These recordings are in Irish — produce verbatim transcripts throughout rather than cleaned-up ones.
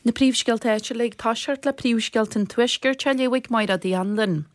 Na príomhscéalta áitiúla ag toiseacht le príomhscéalta an Tuaiscirt á léamh ag Máire Uí Anluain.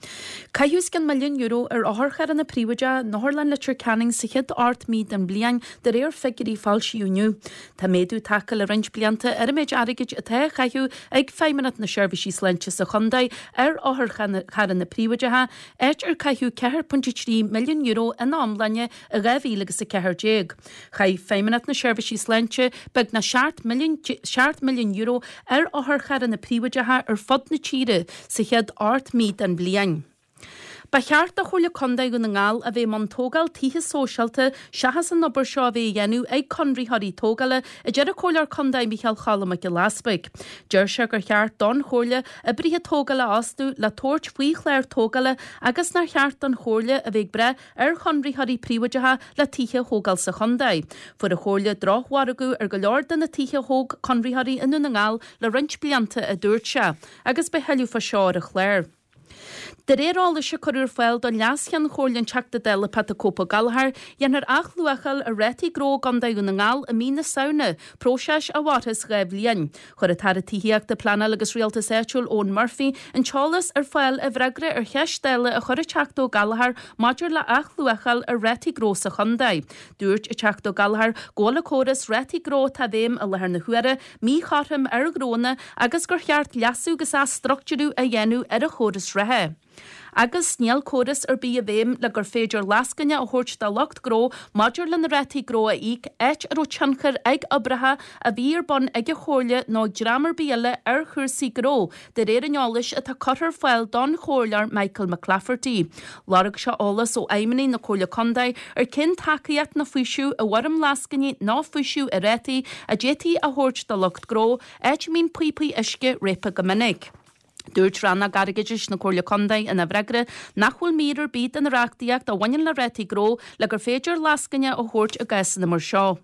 Caitheadh os cionn milliún euro ar otharcharranna príobháideacha in Otharlann Leitir Ceanainn sa chéad ocht mí den bhliain de réir figiúirí foilsíodh inniu. Tá méadú tagtha le roinnt blianta ar an méid airgid atá á chaitheamh ag Feidhmeannacht na Seirbhísí Sláinte sa chontae ar otharcharranna príobháideacha, áit ar caitheadh ceathair pointe trí milliún euro ina iomláine i dhá mhíle agus a ceathair déag. Chaith Feidhmeannacht na Seirbhísí Sláinte beagnach seacht milliún seacht milliún euro ar otharcharranna príobháideacha ar fud na tíre sa chéad ocht mí den bhliain. Ba cheart do Chomhairle Contae Dhún na nGall a bheith i mbun tógáil tithe sóisialta seachas an obair seo a bheith á dhéanamh ag conraitheoirí tógála, a deir an Comhairleoir Contae Micheál Cholm Mac Giolla Easpaig. Deir sé gur cheart don Chomhairle oibrithe tógála a fhostú le tabhairt faoi chlár tógála agus nár cheart don Chomhairle a bheith ag brath ar chonraitheoirí príobháideacha le tithe a thógáil sa chontae. Fuair an Chomhairle drochmhargadh ar go leor de na tithe a thóg conraitheoirí i nDún na nGall le roinnt blianta, a dúirt sé, agus beidh tuilleadh fá seo ar an chlár. De réir eolais a cuireadh ar fáil don Leas-Cheann Comhairle an Teachta Dála Pat the Cope Ó Gallchóir, dhéanfar athluacháil ar rátaí gnó i gContae Dhún na nGall i mí na Samhna, próiseas a mhairfeas dhá bhliain. Chuir an tAire Tithíochta, Pleanála agus Rialtais Áitiúil Eoghan Murphy an t-eolas ar fáil i bhfreagra ar cheist Dála a chuir an Teachta Ó Gallchóir maidir le athluacháil ar rátaí gnó sa chontae. Dúirt an Teachta Ó Gallchóir go bhfuil an córas rátaí gnó atá i bhfeidhm i láthair na huaire míchothrom ar ghnónna agus gur cheart leasú agus athstruchtúrú a dhéanamh ar an chóras reatha. Agus níl córas ar bith i bhfeidhm le gur féidir lascaine a thabhairt do lucht gnó maidir lena rátaí gnó a íoc, áit a raibh tionchar ag oibreacha a bhí ar bun ag an Chomhairle nó ag dream ar bith eile ar chúrsaí gnó, de réir an eolais atá curtha ar fáil don Chomhairleoir Michael McClafferty. Lorg sé eolas ó fheidhmeannaigh na Comhairle Contae ar cén tacaíocht nó faoiseamh i bhfoirm lascainí nó faoiseamh ar rátaí a d'fhéadfaí a thabhairt do lucht gnó, áit a mbíonn píopaí uisce réabtha go minic. Dúirt Rannóg Airgeadais na Comhairle Contae ina bhfreagra nach bhfuil mír ar bith den reachtaíocht a bhaineann le rátaí gnó le gur féidir lascaine a thabhairt i gcásanna mar seo.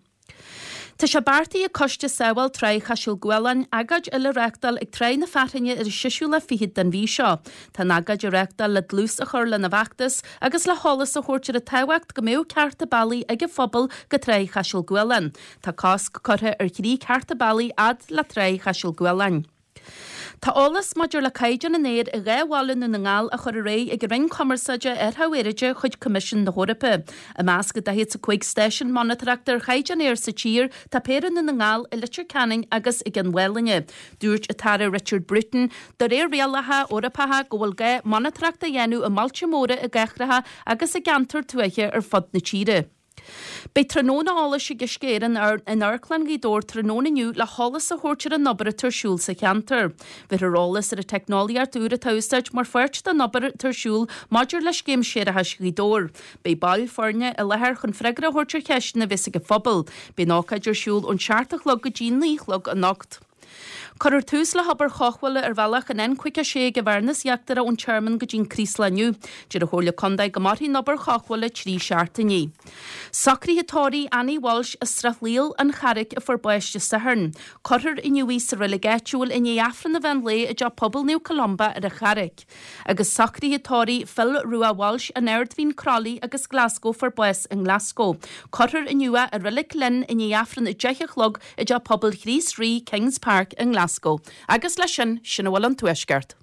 Tá sé beartaithe ag Coiste Sábháil Tráigh Chaiseal Gualann agóid eile a reáchtáil ag Tráigh na Fearthainne ar an seisiú lá fichead den mhí seo. Tá an agóid á reáchtáil le dlús a chur lena bhfeachtas agus le heolas a thabhairt ar an tábhacht go mbeadh cearta bealaigh ag an phobal go Tráigh Chaiseal Gualann. Tá cosc curtha ar thrí cearta bealaigh fhad le Tráigh Chaiseal Gualann. Tá eolas maidir le caighdeán an aeir i dhá bhaile i nDún na nGall á chur ar aghaidh ag an Roinn Cumarsáide ar Aeráide chuig Coimisiún na hEorpa. I measc an daichead is a cúig stáisiún monatóireachta ar chaighdeán aeir sa tír tá péire i nDún na nGall, i Leitir Ceanainn agus i gCionn Mhálanna. Dúirt an tAire Richard Bruton, de réir rialacha Eorpacha go bhfuil gá monatóireacht a dhéanamh i mbailte móra, i gcathracha agus i gceantair tuaithe ar fud na tíre. Beidh tráthnóna eolais ag Uisce Éireann in Amharclann Ghaoth Dobhair tráthnóna inniu le heolas a thabhairt ar an obair atá ar siúl sa cheantar. Bhéarfar eolas ar an teicneolaíocht úr atá á úsáid mar pháirt den obair atá ar siúl maidir le Scéim Séarachais Ghaoth Dobhair. Beidh baill foirne i láthair chun freagra a thabhairt ar cheisteanna a bheas ag an phobal. Beidh an ócáid ar siúl ón seacht a chlog go dtí naoi a chlog anocht. Cuirfear tús le hobair chothabhála ar bhealach an N caoga a sé ag an Bhearnas Íochtarach ón Tearmann go dtí an Craoslach inniu. Deir an Chomhairle Contae go mairfidh an obair chothabhála trí seachtainí. Socruithe tórraimh Annie Walsh as Srath Laoil, An Charraic, a fuair bás Dé Sathairn. Cuirfear inniu í sa reilig áitiúil i ndiaidh Aifreann an mheán lae i dTeach Pobail Naomh Columba ar an Charraic. Agus socruithe tórraimh Phil Rua Walsh, An Ard Mhín Crolly agus Glasgow a fuair bás i nGlasgow. Cuirfear inniu é i Reilig Ghlinn i ndiaidh Aifreann a deich a chlog i dTeach Pobail Chríost Rí, Kings Park i nGlasgow. Agus leis sin, sin a bhfuil ón Tuaisceart.